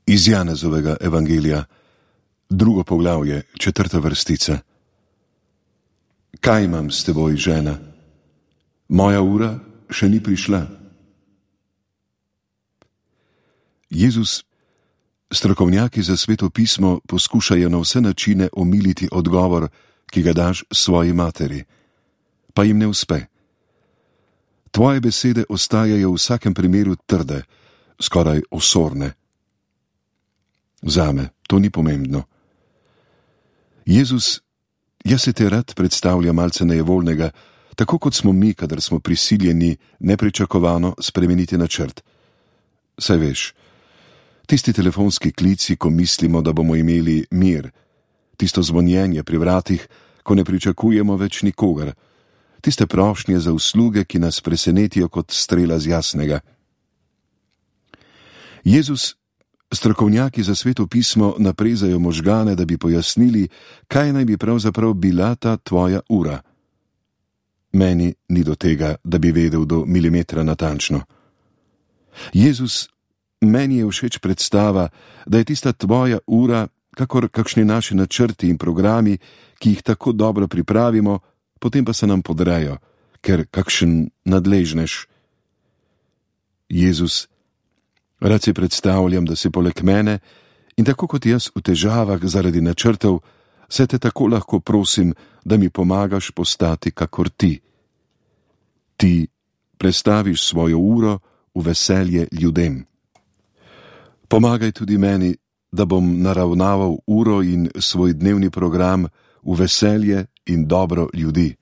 Iz Janezovega evangelija, 2. poglavje, 4. vrstica. Kaj imam s teboj, žena? Moja ura še ni prišla. Jezus, strokovnjaki za Sveto pismo poskušajo na vse načine omiliti odgovor, ki ga daš svoji materi, pa jim ne uspe. Tvoje besede ostajajo v vsakem primeru trde, skoraj osorne. Zame to ni pomembno. Jezus, jaz se te rad predstavlja malce nejevoljnega, tako kot smo mi, kadar smo prisiljeni nepričakovano spremeniti načrt. Saj veš, tisti telefonski klici, ko mislimo, da bomo imeli mir, tisto zvonjenje pri vratih, ko ne pričakujemo več nikogar, tiste prošnje za usluge, ki nas presenetijo kot strela z jasnega. Jezus, strokovnjaki za Sveto pismo naprezajo možgane, da bi pojasnili, kaj naj bi pravzaprav bila ta tvoja ura. Meni ni do tega, da bi vedel do milimetra natančno. Jezus, meni je všeč predstava, da je tista tvoja ura, kakor kakšni naši načrti in programi, ki jih tako dobro pripravimo, potem pa se nam podrejo, ker kakšen nadležnež. Jezus, rad si predstavljam, da si poleg mene in tako kot jaz v težavah zaradi načrtov, se te tako lahko prosim, da mi pomagaš postati kakor ti. Ti prestaviš svojo uro v veselje ljudem. Pomagaj tudi meni, da bom naravnaval uro in svoj dnevni program v veselje in dobro ljudi.